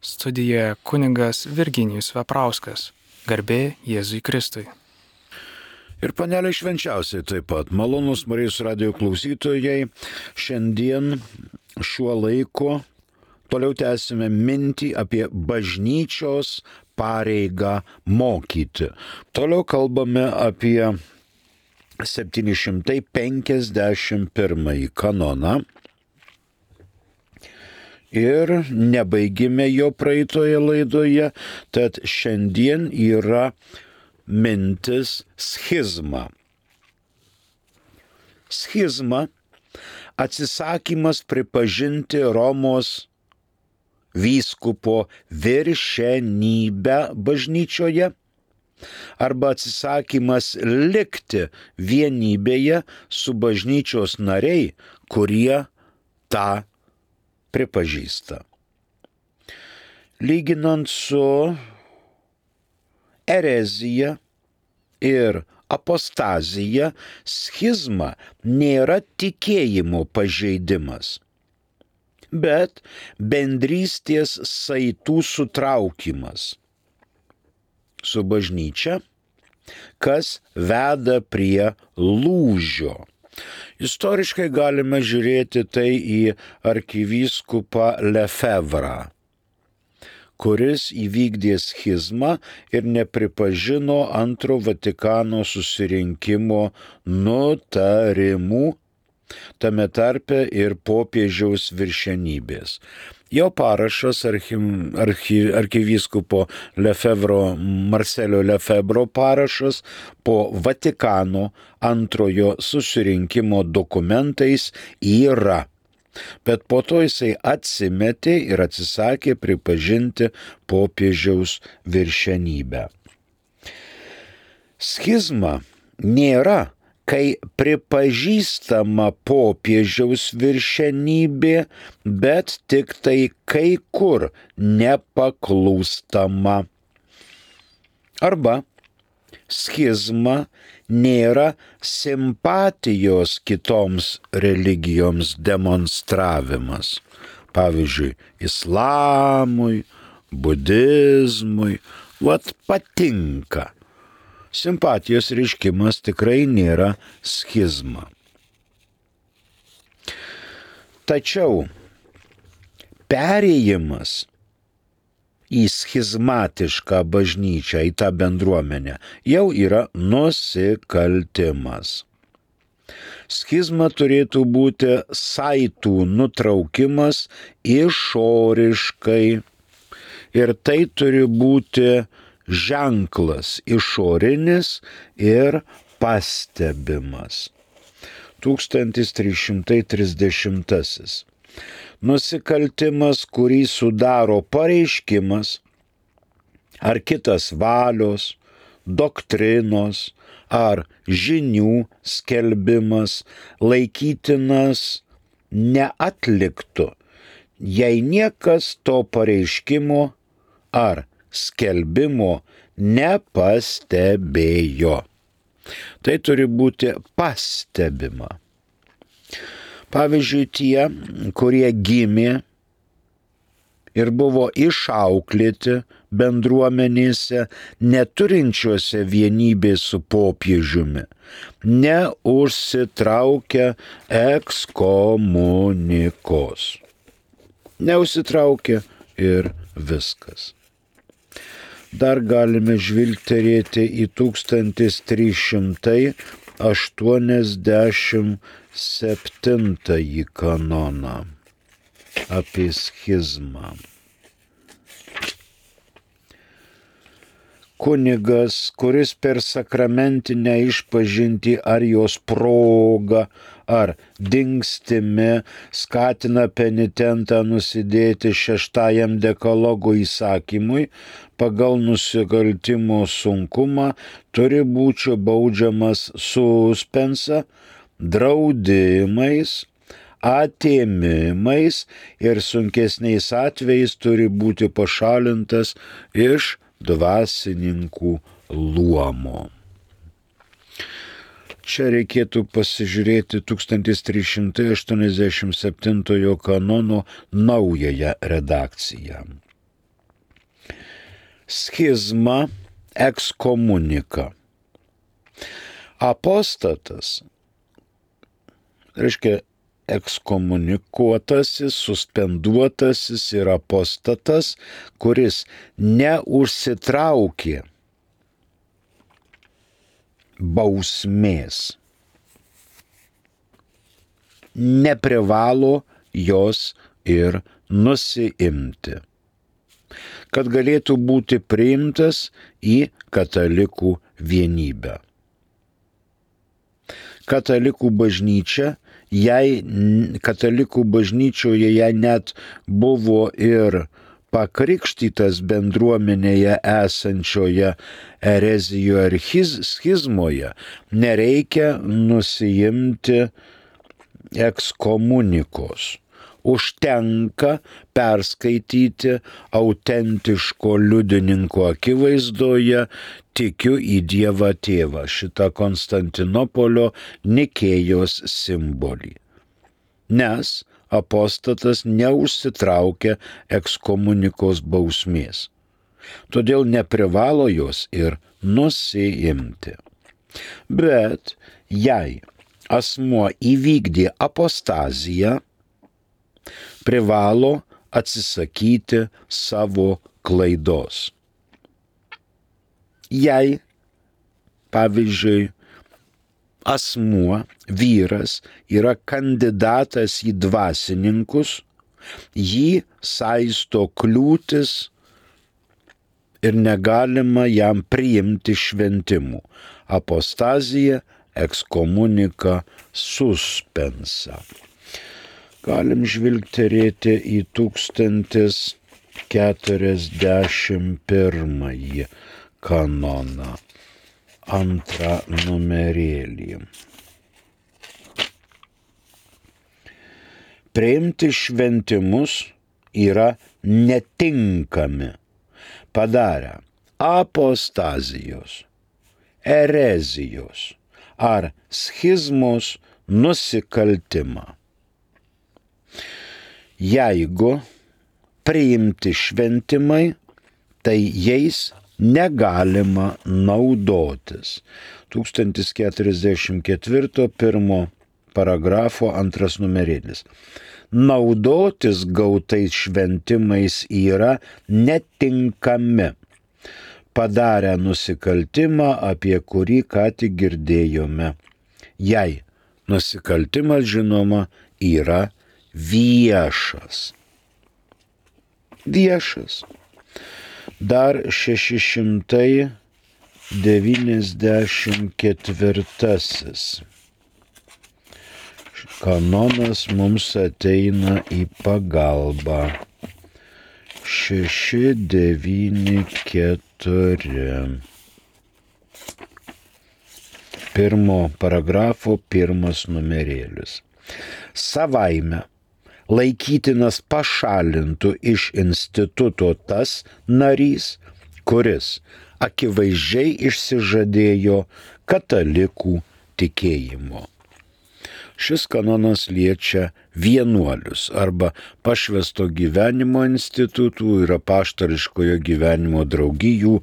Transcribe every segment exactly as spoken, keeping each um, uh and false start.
Studijoje kunigas Virginijus Veprauskas. Garbė Jėzui Kristui. Ir panelė švenčiausiai taip pat. Malonus Marijos radijo klausytojai. Šiandien šiuo laiku toliau tęsime mintį apie bažnyčios pareigą mokyti. Toliau kalbame apie septyni šimtai penkiasdešimt pirmąjį kanoną. Ir nebaigime jo praeitoje laidoje, tad šiandien yra mintis schizma. Schizma – atsisakymas pripažinti Romos vyskupo viršenybę bažnyčioje arba atsisakymas likti vienybėje su bažnyčios nariai, kurie tą pripažįsta. Lyginant su erezija ir apostazija, schizma nėra tikėjimo pažeidimas, bet bendrystės saitų sutraukimas su bažnyčia, kas veda prie lūžio. Istoriškai galime žiūrėti tai į arkivyskupą Lefevrą, kuris įvykdė schizmą ir nepripažino antro Vatikano susirinkimo nutarimų, tame tarpe ir popiežiaus viršenybės. Jo parašas archi, archi, arkivyskupo Lefevro, Marselio Lefebro parašas po Vatikano antrojo susirinkimo dokumentais yra. Bet po to jisai atsimetė ir atsisakė pripažinti popiežiaus viršenybę. Schizma nėra, kai pripažįstama popiežiaus viršenybė, bet tik tai kai kur nepaklūstama. Arba schizma nėra simpatijos kitoms religijoms demonstravimas. Pavyzdžiui, islamui, budizmui, vat patinka. Simpatijos reiškimas tikrai nėra schizma. Tačiau perėjimas į schizmatišką bažnyčią, į tą bendruomenę, jau yra nusikaltimas. Schizma turėtų būti saitų nutraukimas išoriškai ir tai turi būti ženklas išorinis ir pastebimas. tūkstantis trys šimtai trisdešimtasis. Nusikaltimas, kurį sudaro pareiškimas ar kitas valios, doktrinos ar žinių skelbimas laikytinas neatliktu, jei niekas to pareiškimo ar skelbimo nepastebėjo. Tai turi būti pastebima. Pavyzdžiui, tie, kurie gimė ir buvo išauklėti bendruomenėse, neturinčiuose vienybės su popiežiumi, neužsitraukia ekskomunikos. Neužsitraukia ir viskas. Dar galime žvilgterėti į tūkstantis trys šimtai aštuoniasdešimt septintąjį kanoną apie schizmą. Kunigas, kuris per sakramentinę išpažintį ar jos progą ar dingstimi skatina penitentą nusidėti šeštajam dekalogo įsakymui, pagal nusikaltimo sunkumą turi būti baudžiamas suspensa, draudimais, atėmimais ir sunkesniais atvejais turi būti pašalintas iš dvasininkų luomo. Čia reikėtų pasižiūrėti tūkstantis trys šimtai aštuoniasdešimt septintojo kanono naująją redakciją. schizma, ekskomunika. Apostatas, reiškia ekskomunikuotasis, suspenduotasis ir apostatas, kuris neužsitraukė bausmės, neprivalo jos ir nusiimti, kad galėtų būti priimtas į katalikų vienybę. Katalikų bažnyčia, jei katalikų bažnyčioje jei net buvo ir pakrikštytas bendruomenėje esančioje erezijoje ar schizmoje, nereikia nusiimti ekskomunikos. Užtenka perskaityti autentiško liudininko akivaizdoje tikiu į Dievą Tėvą, šitą Konstantinopolio Nikėjos simbolį. Nes apostatas neužsitraukia ekskomunikos bausmės. Todėl neprivalo jos ir nusiimti. Bet jei asmuo įvykdė apostaziją, privalo atsisakyti savo klaidos. Jei, pavyzdžiui, asmuo, vyras, yra kandidatas į dvasininkus, jį saisto kliūtis ir negalima jam priimti šventimų. Apostazija, ekskomunika, suspensa. Galim žvilgterėti į tūkstantis keturiasdešimt pirmąjį kanoną, antrą numerėlį. Priimti šventimus yra netinkami padarę apostazijos, erezijos ar schizmos nusikaltimą. Jeigu priimti šventimai, tai jais negalima naudotis. tūkstantis keturiasdešimt ketvirto pirmo paragrafo antras numerėlis. Naudotis gautais šventimais yra netinkami, padarę nusikaltimą, apie kurį ką tik girdėjome. Jei nusikaltimas, žinoma, yra viešas. Viešas. Dar šeši šimtai devyniasdešimt ketvirtasis kanonas mums ateina į pagalbą. šeši devyni keturi. Pirmo paragrafo pirmas numerėlis. Savaime laikytinas pašalintų iš instituto tas narys, kuris akivaizdžiai išsižadėjo katalikų tikėjimo. Šis kanonas liečia vienuolius arba pašvęsto gyvenimo institutų ir apaštališkojo gyvenimo draugijų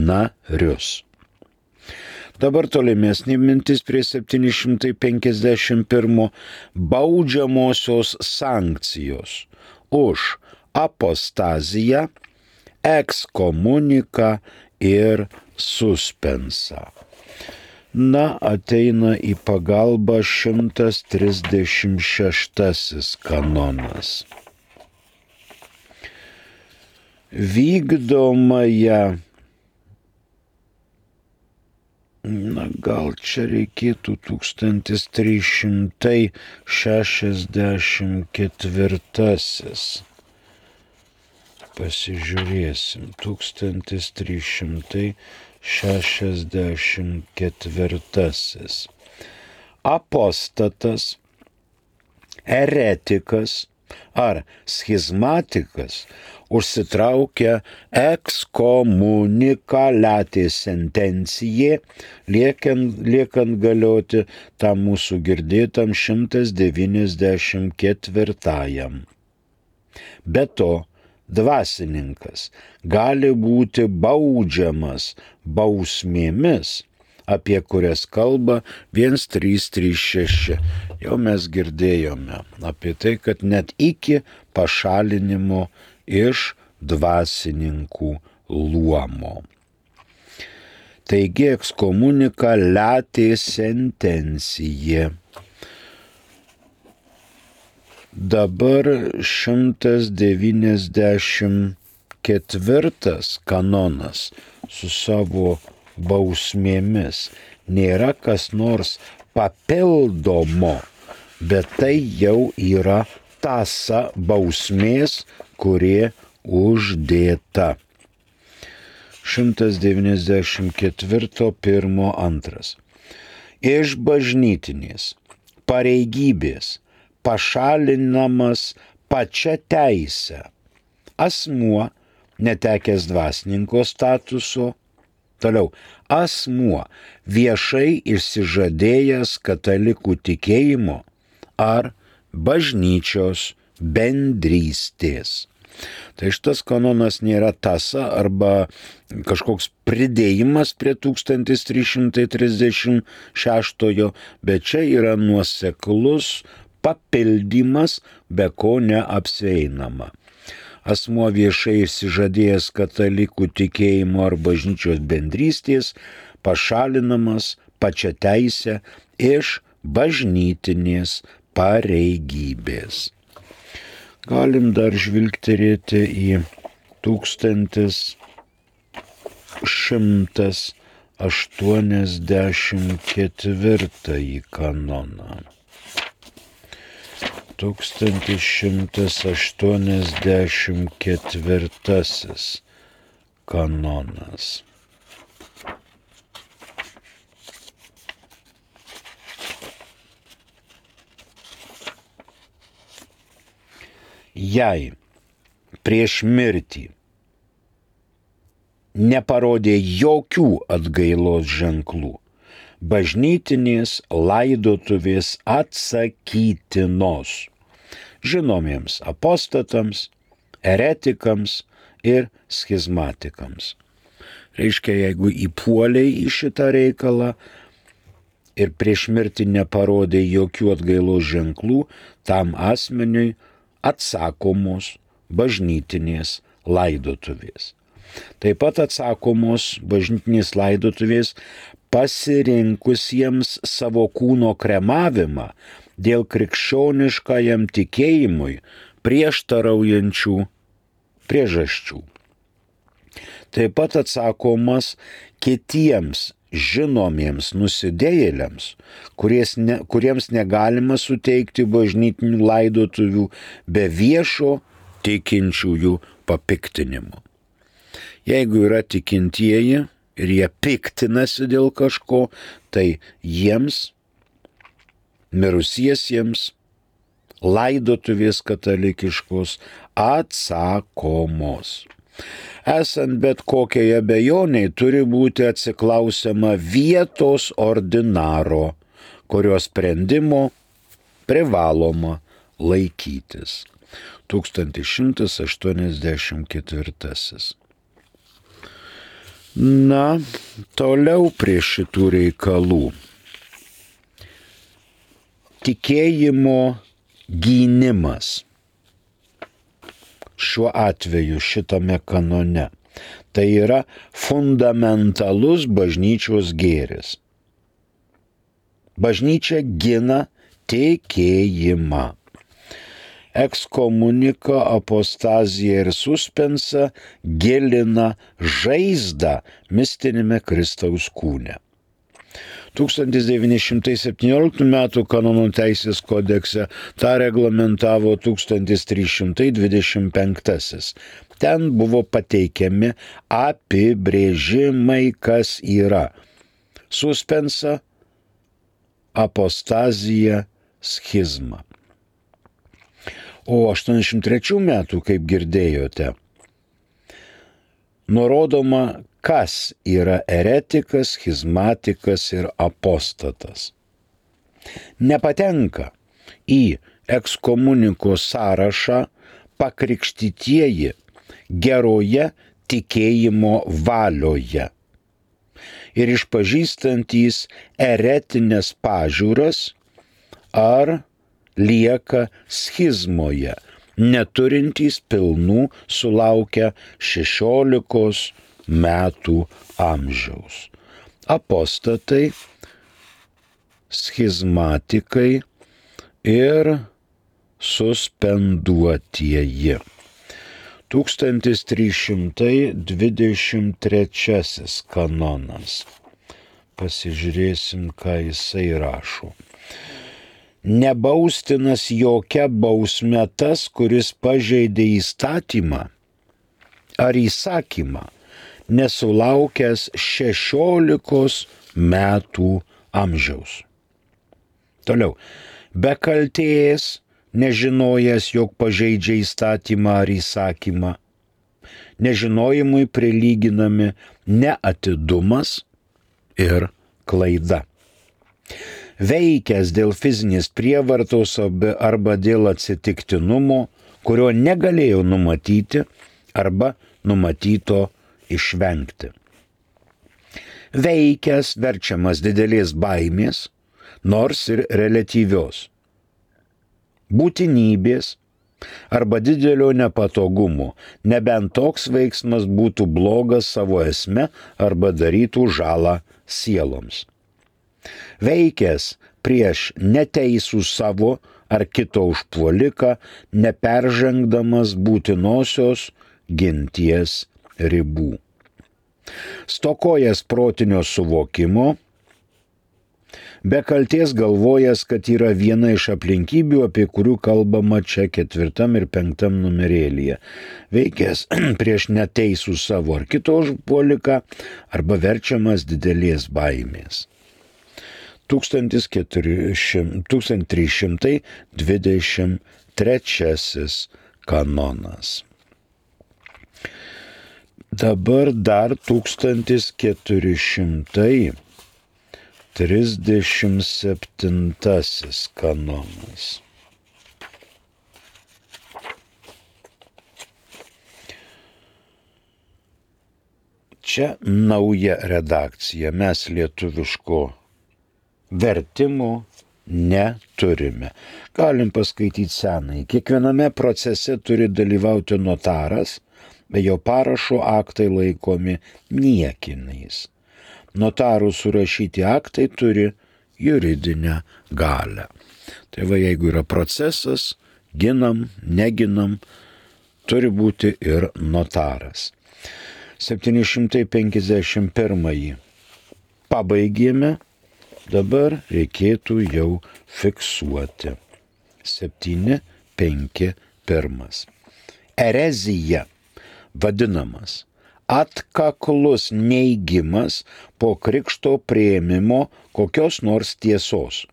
narius. Dabar tolimesnė mintis prie septyni šimtai penkiasdešimt pirmo baudžiamosios sankcijos už apostaziją, ekskomuniką ir suspensą. Na, ateina į pagalbą šimtas trisdešimt šeštasis kanonas. Vykdomąją, na, gal čia reikėtų tūkstantis trys šimtai šešiasdešimt ketvirtasis. Pasižiūrėsim, tūkstantis trys šimtai šešiasdešimt ketvirtasis. Apostatas, eretikas ar schizmatikas užsitraukia ekskomunikaliatė sentencijė, liekant, liekant galioti tam mūsų girdėtam šimtas devyniasdešimt ketvirtajam. Be to, dvasininkas gali būti baudžiamas bausmėmis, apie kurias kalba vienas trys trys šeši. Jau mes girdėjome apie tai, kad net iki pašalinimo iš dvasininkų luomo. Taigi ekskomunika latė sentencija. Dabar šimtas devyniasdešimt ketvirtas kanonas su savo bausmėmis nėra kas nors papildomo, bet tai jau yra tąsa bausmės, kurie uždėta. šimtas devyniasdešimt ketvirto pirmo antras. Iš bažnytinės pareigybės pašalinamas pačia teise asmuo netekęs dvasininko statuso, toliau asmuo viešai išsižadėjęs katalikų tikėjimo ar bažnyčios bendrystės. Tai šitas kanonas nėra tąsa arba kažkoks pridėjimas prie tūkstantis trys šimtai trisdešimt šeštojo, bet čia yra nuoseklus papildymas, be ko neapsieinama. Asmuo viešai išsižadėjęs katalikų tikėjimo ar bažnyčios bendrystės pašalinamas pačia teise iš bažnytinės pareigybės. Galim dar žvilgterėti į tūkstantis šimtas aštuoniasdešimt ketvirtąjį kanoną. tūkstantis šimtas aštuoniasdešimt ketvirtasis kanonas. Jei prieš mirtį neparodė jokių atgailos ženklų, bažnytinės laidotuvės atsakytinos žinomiems apostatams, eretikams ir schizmatikams. Reiškia, jeigu įpuoliai į šitą reikalą ir prieš mirtį neparodė jokių atgailos ženklų, tam asmeniui atsakomos bažnytinės laidotuvės. Taip pat atsakomos bažnytinės laidotuvės pasirinkusiems savo kūno kremavimą dėl krikščioniškajam tikėjimui prieštaraujančių priežasčių. Taip pat atsakomas kitiems žinomiems nusidėjėliams, ne, kuriems negalima suteikti bažnytinių laidotuvių be viešo tikinčiųjų papiktinimo. Jeigu yra tikintieji ir jie piktinasi dėl kažko, tai jiems, mirusiesiems, laidotuvės katalikiškos atsakomos. Esant bet kokiai abejoniai turi būti atsiklausiama vietos ordinaro, kurio sprendimo privaloma laikytis. tūkstantis šimtas aštuoniasdešimt ketvirtasis. Na, toliau prie šitų reikalų. Tikėjimo gynimas. Šiuo atveju šitame kanone. Tai yra fundamentalus bažnyčios gėris. Bažnyčia gina tikėjimą. Ekskomunika, apostazija ir suspensa gilina žaizdą mistinėme Kristaus kūne. tūkstantis devyni šimtai septynioliktų metų kanonų teisės kodekse tą reglamentavo tūkstantis trys šimtai dvidešimt penktasis. Ten buvo pateikiami apibrėžimai, kas yra suspensa, apostazija, schizma. O aštuoniasdešimt trečių metų, kaip girdėjote, nurodoma, kas yra eretikas, schizmatikas ir apostatas. Nepatenka į ekskomunikos sąrašą pakrikštytieji, geroje tikėjimo valioje ir išpažįstantys eretinės pažiūras ar lieka schizmoje, neturintys pilnų sulaukę šešiolikos metų amžiaus. Apostatai, schizmatikai ir suspenduotieji. tūkstantis trys šimtai dvidešimt trečiasis kanonas. Pasižiūrėsim, ką jisai rašo. Nebaustinas jokia bausme tas, kuris pažeidė įstatymą ar įsakymą, nesulaukęs šešiolikos metų amžiaus. Toliau. Be kaltės, nežinojęs, jog pažeidžia įstatymą ar įsakymą, nežinojimui prilyginami neatidumas ir klaida. Veikęs dėl fizinės prievartos arba dėl atsitiktinumo, kurio negalėjo numatyti arba numatyto išvengti. Veikęs verčiamas didelės baimės, nors ir reliatyvios, būtinybės arba didelio nepatogumo, nebent toks veiksmas būtų blogas savo esme arba darytų žalą sieloms. Veikęs prieš neteisų savo ar kito užpuoliką, neperžengdamas būtinosios ginties ribų. Stokojęs protinio suvokimo, be kalties galvojęs, kad yra viena iš aplinkybių, apie kurių kalbama čia ketvirtam ir penktam numerėlyje. Veikęs prieš neteisų savo ar kito užpuoliką arba verčiamas didelės baimės. tūkstantis trys šimtai dvidešimt trečiasis kanonas. Dabar dar tūkstantis keturi šimtai trisdešimt septintasis kanonas. Čia nauja redakcija, mes lietuviško vertimo neturime. Galim paskaityti senai. Kiekviename procese turi dalyvauti notaras, be jo parašo aktai laikomi niekiniais. Notarų surašyti aktai turi juridinę galią. Tai va, jeigu yra procesas, ginam, neginam, turi būti ir notaras. septyni šimtai penkiasdešimt pirmąjį pabaigėme, dabar reikėtų jau fiksuoti. septyni penki pirmas. Erezija vadinamas atkaklus neigimas po krikšto priėmimo kokios nors tiesos,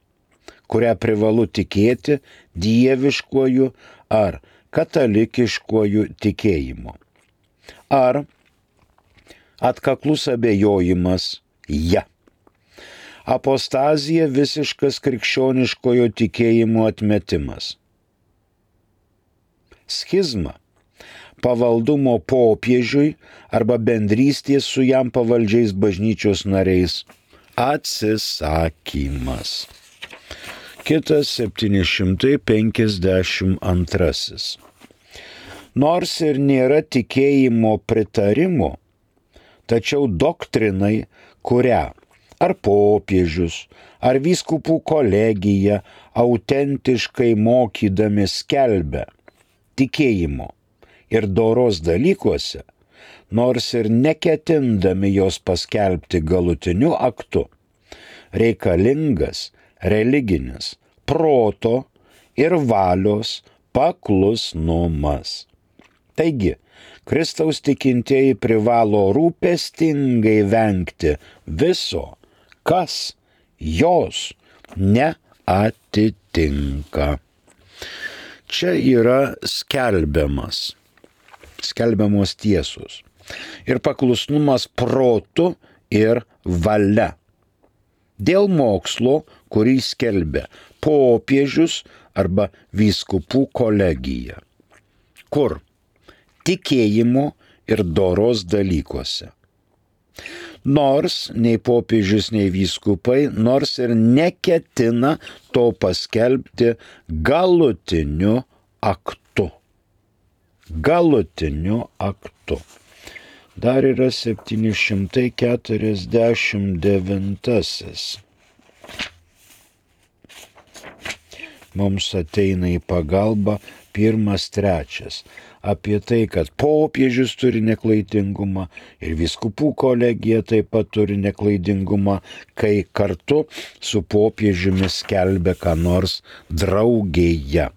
kurią privalu tikėti dieviškuoju ar katalikiškuoju tikėjimu. Ar atkaklus abejojimas ja. Apostazija visiškas krikščioniškojo tikėjimo atmetimas. Schizma pavaldumo popiežiui arba bendrystės su jam pavaldžiais bažnyčios nariais atsisakymas. Kitas septyni šimtai penkiasdešimt antrasis. Nors ir nėra tikėjimo pritarimo, tačiau doktrinai, kurią ar popiežius, ar vyskupų kolegija autentiškai mokydami skelbia tikėjimo ir doros dalykuose, nors ir neketindami jos paskelbti galutiniu aktu, reikalingas religinis proto ir valios paklusnumas. Taigi, Kristaus tikintieji privalo rūpestingai vengti viso, kas jos neatitinka. Čia yra skelbiamas, skelbiamos tiesos ir paklusnumas protu ir valia. Dėl mokslo, kurį skelbia popiežius arba vyskupų kolegija, kur tikėjimo ir doros dalykuose. Nors nei popiežius, nei vyskupai, nors ir neketina to paskelbti galutiniu aktu. Galutiniu aktu. Dar yra septyni šimtai keturiasdešimt devintasis. Mums ateina į pagalbą pirmas trečias. Apie tai, kad popiežius turi neklaidingumą ir vyskupų kolegija taip pat turi neklaidingumą, kai kartu su popiežiumi skelbia ką nors draugėje.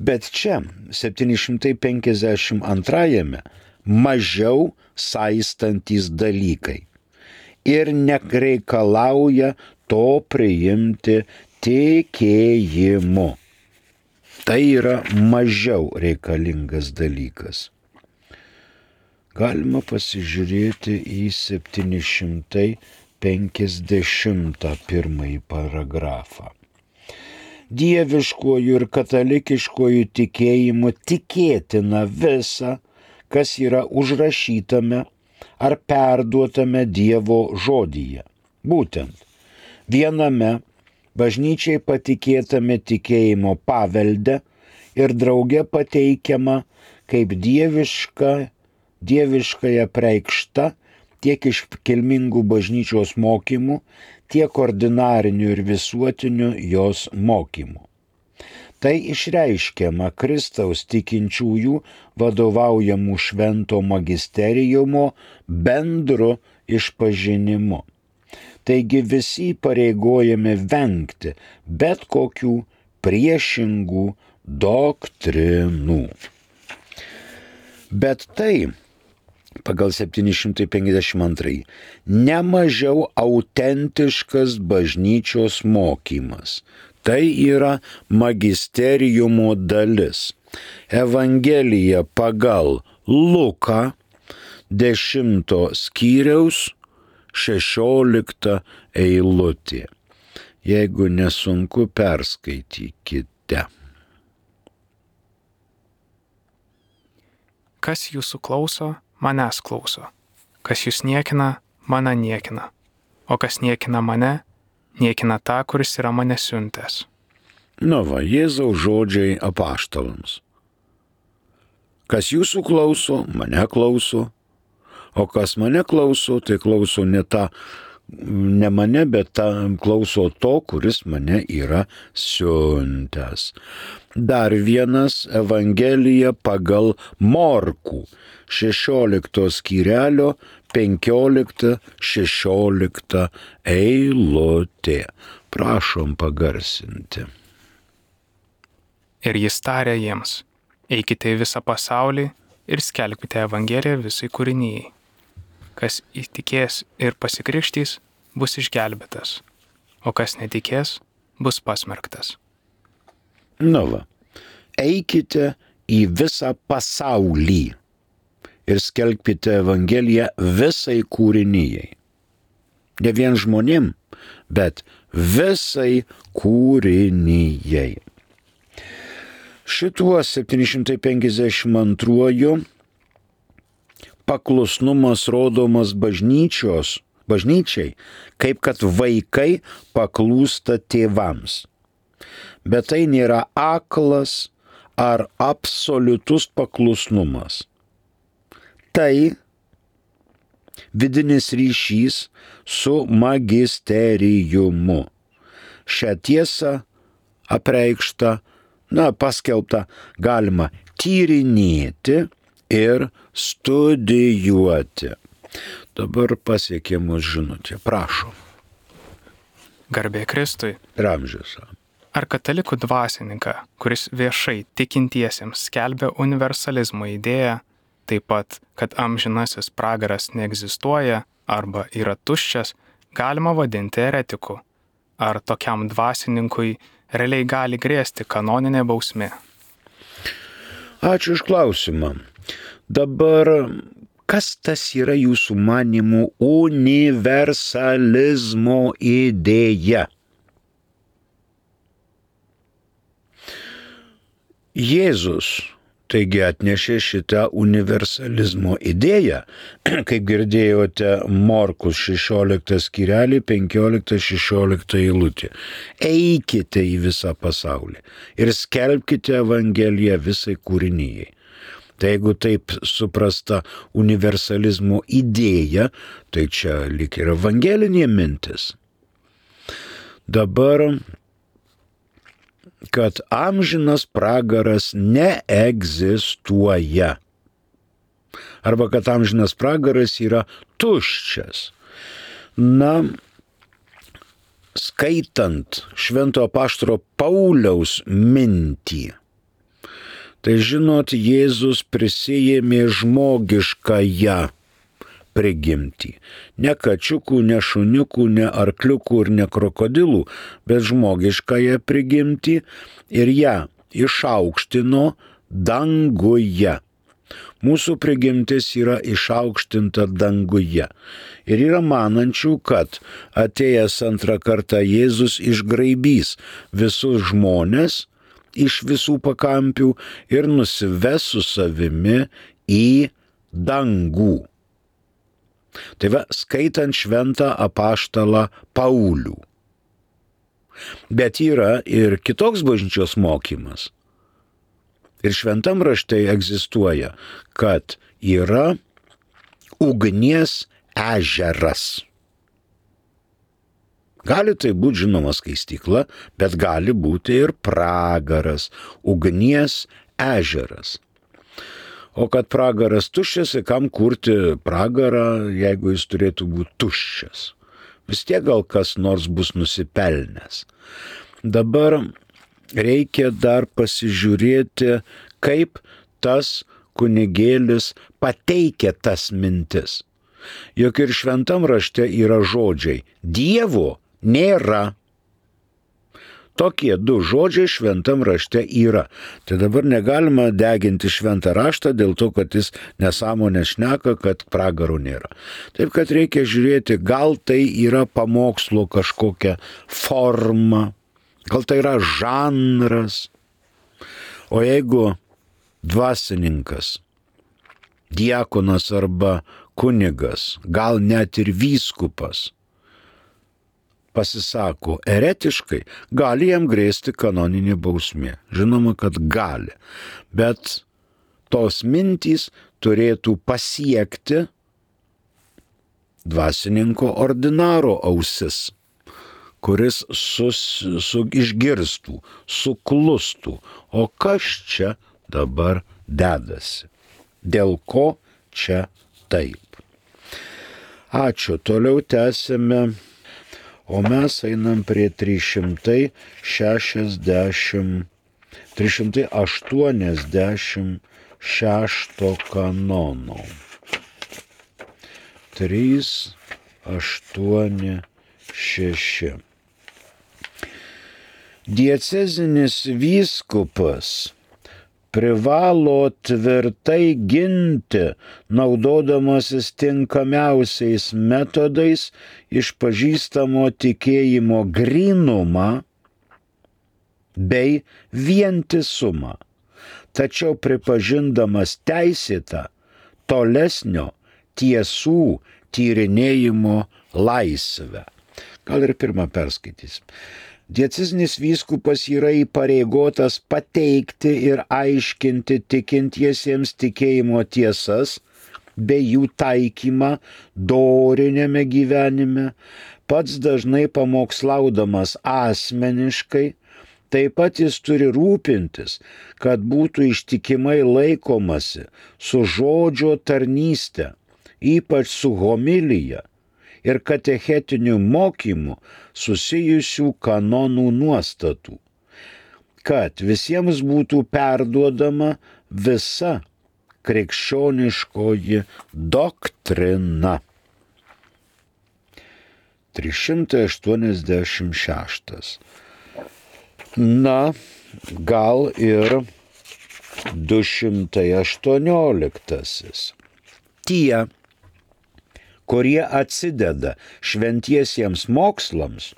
Bet čia, septyni šimtai penkiasdešimt antrajame, mažiau saistantys dalykai ir nereikalauja to priimti tikėjimu. Tai yra mažiau reikalingas dalykas. Galima pasižiūrėti į septyni šimtai penkiasdešimtą pirmąjį paragrafą. Dieviškuoju ir katalikiškuoju tikėjimu tikėtina visa, kas yra užrašytame ar perduotame Dievo žodyje. Būtent viename bažnyčiai patikėtame tikėjimo pavelde ir drauge pateikiama kaip dieviška, dieviškąja preikšta tiek iš kilmingų bažnyčios mokymų, tiek ordinarinių ir visuotinių jos mokymų. Tai išreiškiama Kristaus tikinčiųjų vadovaujamų švento magisteriumo bendru išpažinimu. Taigi visi pareigojami vengti bet kokių priešingų doktrinų. Bet tai, pagal septyni šimtai penkiasdešimt antrąjį, nemažiau autentiškas bažnyčios mokymas. Tai yra magisteriumo dalis. Evangelija pagal Luką dešimto skyriaus šešiolikta eilutė. Jeigu nesunku, perskaitykite. Kas jūsų klauso, manęs klauso. Kas jūs niekina, mane niekina. O kas niekina mane, niekina tą, kuris yra mane siuntęs. Nu va, Jėzaus žodžiai apaštalams. Kas jūsų klauso, mane klauso. O kas mane klauso, tai klauso ne tą, ne mane, bet tą klauso to, kuris mane yra siuntęs. Dar vienas Evangelija pagal Morkų, šešiolikto skyrelio, penkiolikta šešiolikta eilutė. Prašom pagarsinti. Ir jis tarė jiems, eikite į visą pasaulį ir skelbkite Evangeliją visai kūrinijai. Kas įtikės ir pasikrikštys, bus išgelbėtas, o kas netikės, bus pasmerktas. Nu va, eikite į visą pasaulį ir skelbkite Evangeliją visai kūrinijai. Ne vien žmonėm, bet visai kūrinijai. Šituo septyni šimtai penkiasdešimt antruoju paklusnumas rodomas bažnyčios, bažnyčiai, kaip kad vaikai paklūsta tėvams. Bet tai nėra aklas ar absoliutus paklusnumas. Tai vidinis ryšys su magisteriumu. Šią tiesą apreikštą, na, paskelbtą galima tyrinėti ir studijuoti. Dabar pasiekė mus žinutė. Prašom. Garbė Kristui. Ramžius. Ar katalikų dvasininką, kuris viešai tikintiesiems skelbia universalizmo idėją, taip pat, kad amžinasis pragaras neegzistuoja arba yra tuščias, galima vadinti eretiku? Ar tokiam dvasininkui realiai gali grėsti kanoninė bausmė? Ačiū už klausimą. Dabar, kas tas yra jūsų manymų universalizmo idėja? Jėzus Taigi atnešė šitą universalizmo idėją, kaip girdėjote Morkus šešioliktas skyrelį, penkioliktas šešioliktas eilutė. Eikite į visą pasaulį ir skelbkite Evangeliją visai kūrinijai. Tai jeigu taip suprasta universalizmo idėja, tai čia lyg ir evangelinė mintis. Dabar, kad amžinas pragaras neegzistuoja. Arba kad amžinas pragaras yra tuščias. Na, skaitant Švento apaštalo Pauliaus mintį, tai žinot, Jėzus prisijėmė žmogiškąją prigimtį. Ne kačiukų, ne šuniukų, ne arkliukų ir ne krokodilų, bet žmogiškąją prigimtį ir ją išaukštino danguje. Mūsų prigimtis yra išaukštinta danguje. Ir yra manančių, kad atėjęs antrą kartą Jėzus išgraibys visus žmones iš visų pakampių ir nusives su savimi į dangų. Tai va, skaitant šventą apaštalą Paulių. Bet yra ir kitoks bažnyčios mokymas. Ir šventam rašte egzistuoja, kad yra ugnies ežeras. Gali tai būti žinoma skaistykla, bet gali būti ir pragaras, ugnies ežeras. O kad pragaras tuščias, kam kurti pragarą, jeigu jis turėtų būti tuščias? Vis tiek gal kas nors bus nusipelnęs. Dabar reikia dar pasižiūrėti, kaip tas kunigėlis pateikia tas mintis. Juk ir šventam rašte yra žodžiai Dievo nėra. Tokie du žodžiai šventam rašte yra. Tai dabar negalima deginti šventą raštą dėl to, kad jis nesąmonę šneka, kad pragarų nėra. Taip, kad reikia žiūrėti, gal tai yra pamokslo kažkokia forma, gal tai yra žanras. O jeigu dvasininkas, diakonas arba kunigas, gal net ir vyskupas, pasisako eretiškai, gali jam grėsti kanoninė bausmė. Žinoma, kad gali. Bet tos mintys turėtų pasiekti dvasininko ordinaro ausis, kuris sus, su, išgirstų, suklustų. O kas čia dabar dedasi? Dėl ko čia taip? Ačiū. Toliau tęsime. O mes einam prie trys šimtai šešiasdešimt, trys šimtai aštuoniasdešimt šešto kanono. trys, aštuoni, šeši. Diecezinis vyskupas privalo tvirtai ginti, naudodamasis tinkamiausiais metodais, išpažįstamo tikėjimo grynumą bei vientisumą, tačiau pripažindamas teisėtą tolesnio tiesų tyrinėjimo laisvę. Gal ir pirmą perskaitysim. Diecezinis vyskupas yra įpareigotas pateikti ir aiškinti tikintiesiems tikėjimo tiesas bei jų taikymą doriniame gyvenime, pats dažnai pamokslaudamas asmeniškai. Taip pat jis turi rūpintis, kad būtų ištikimai laikomasi su žodžio tarnyste, ypač su homilija ir katechetiniu mokymu susijusių kanonų nuostatų, kad visiems būtų perduodama visa krikščioniškoji doktrina. trys šimtai aštuoniasdešimt šeštas. Na, gal ir du šimtai aštuonioliktasis. Tie, kurie atsideda šventiesiems mokslams,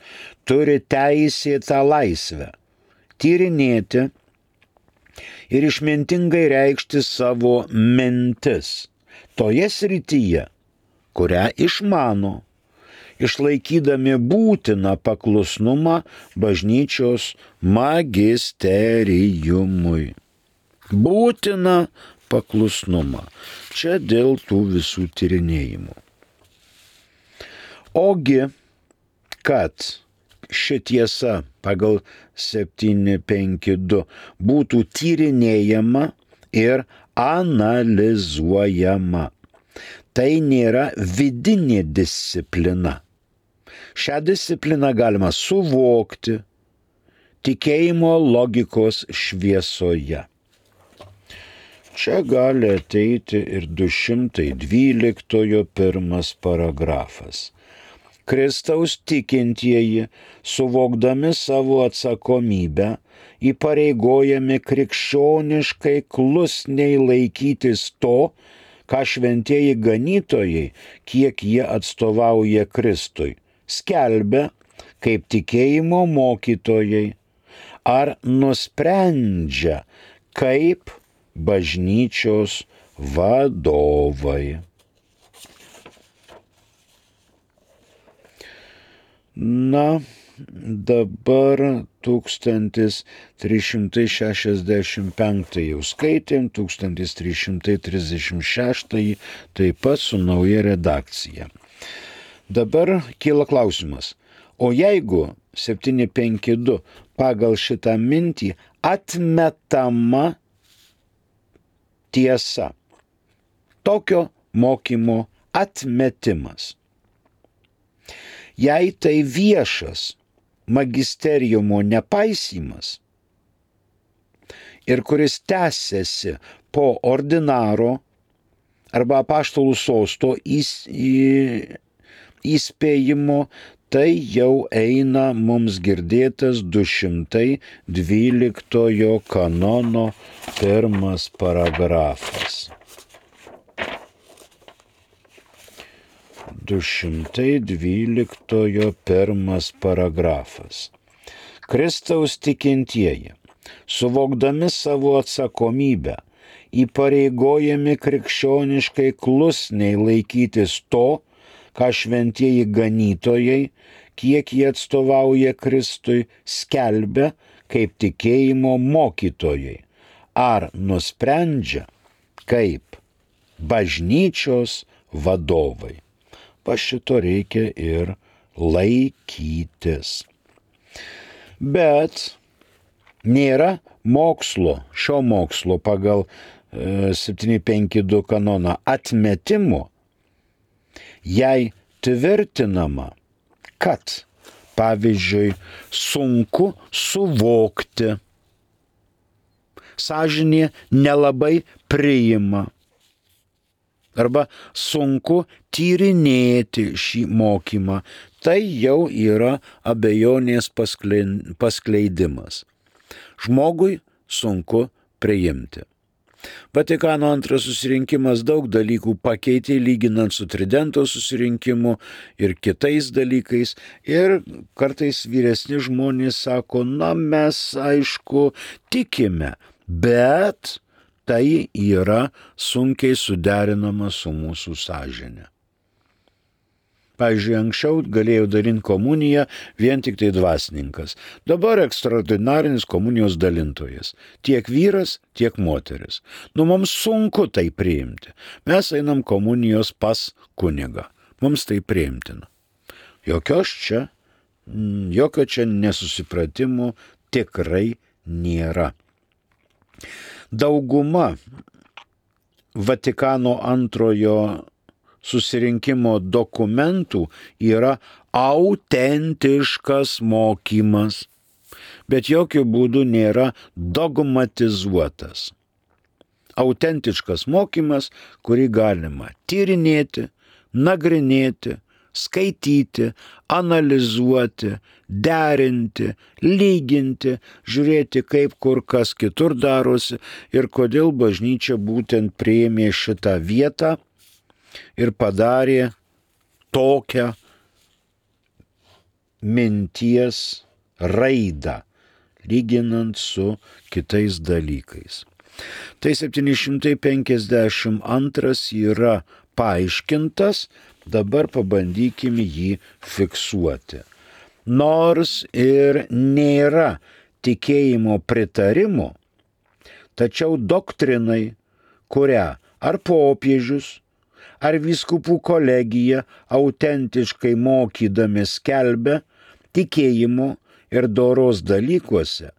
turi teisėtą laisvę tyrinėti ir išmintingai reikšti savo mintis toje srityje, kurią išmano, išlaikydami būtiną paklusnumą bažnyčios magisteriumui. Būtiną paklusnumą. Čia dėl tų visų tyrinėjimų. Ogi, kad ši tiesa pagal septyni penki du būtų tyrinėjama ir analizuojama. Tai nėra vidinė disciplina. Šią discipliną galima suvokti tikėjimo logikos šviesoje. Čia gali ateiti ir du šimtai dvyliktojo pirmas paragrafas. Kristaus tikintieji, suvokdami savo atsakomybę, įpareigojami krikščioniškai klusniai laikytis to, ką šventieji ganytojai, kiek jie atstovauja Kristui, skelbia kaip tikėjimo mokytojai ar nusprendžia kaip bažnyčios vadovai. Na, dabar tūkstantis trys šimtai šešiasdešimt penktąjį jau skaitėm, tūkstantis trys šimtai trisdešimt šeštąjį taip pat su nauja redakcija. Dabar kyla klausimas, o jeigu septyni penki du pagal šitą mintį atmetama tiesa, tokio mokymo atmetimas, jei tai viešas magisteriumo nepaisymas ir kuris tęsiasi po ordinaro arba apaštalų sosto įspėjimo, tai jau eina mums girdėtas du šimtai dvyliktojo kanono pirmas paragrafas. du šimtai dvyliktojo pirmas paragrafas. Kristaus tikintieji, suvokdami savo atsakomybę, įpareigojami krikščioniškai klusniai laikytis to, ką šventieji ganytojai, kiek jie atstovauja Kristui, skelbia kaip tikėjimo mokytojai, ar nusprendžia kaip bažnyčios vadovai. Pa šito reikia ir laikytis. Bet nėra mokslo, šio mokslo pagal e, septyni penki du kanoną atmetimo, jei tvirtinama, kad, pavyzdžiui, sunku suvokti, sąžinė nelabai priima, arba sunku tyrinėti šį mokymą, tai jau yra abejonės paskleidimas. Žmogui sunku priimti. Vatikano antras susirinkimas daug dalykų pakeitė, lyginant su Tridento susirinkimu ir kitais dalykais. Ir kartais vyresni žmonės sako, na mes aišku tikime, bet tai yra sunkiai suderinama su mūsų sąžine. Pavyzdžiui, anksčiau galėjo dalinti komuniją vien tik tai dvasininkas. Dabar ekstraordinarinis komunijos dalintojas. Tiek vyras, tiek moteris. Nu, mums sunku tai priimti. Mes einam komunijos pas kunigą. Mums tai priimtina. Jokios čia, jokio čia nesusipratimų tikrai nėra. Dauguma Vatikano antrojo susirinkimo dokumentų yra autentiškas mokymas, bet jokių būdų nėra dogmatizuotas. Autentiškas mokymas, kurį galima tyrinėti, nagrinėti, skaityti, analizuoti, derinti, lyginti, žiūrėti, kaip kur kas kitur darosi ir kodėl bažnyčia būtent priėmė šitą vietą ir padarė tokią minties raidą, lyginant su kitais dalykais. Tai septyni šimtai penkiasdešimt antras yra paaiškintas, dabar pabandykime jį fiksuoti. Nors ir nėra tikėjimo pritarimo, tačiau doktrinai, kurią ar popiežius, ar vyskupų kolegija autentiškai mokydami skelbia tikėjimo ir doros dalykuose,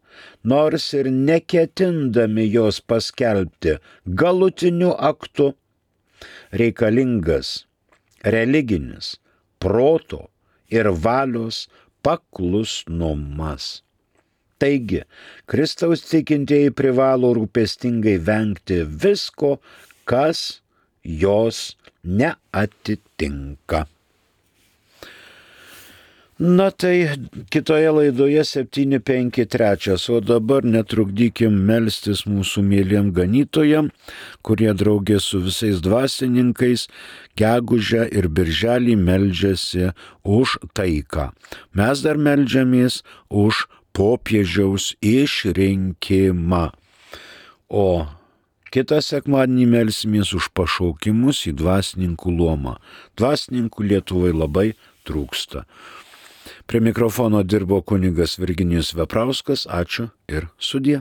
nors ir neketindami jos paskelbti galutiniu aktu, reikalingas religinis proto ir valios paklusnumas. Taigi, Kristaus tikintieji privalo rūpestingai vengti visko, kas jos neatitinka. Na tai kitoje laidoje septyni penki trys, o dabar netrukdykim melstis mūsų mėliem ganytojam, kurie draugė su visais dvasininkais gegužę ir birželį meldžiasi už taiką. Mes dar meldžiamės už popiežiaus išrinkimą. O kitą sekmadienį melsimės už pašaukimus į dvasininkų luomą. Dvasininkų Lietuvai labai trūksta. Prie mikrofono dirbo kunigas Virginijus Veprauskas. Ačiū ir sudie.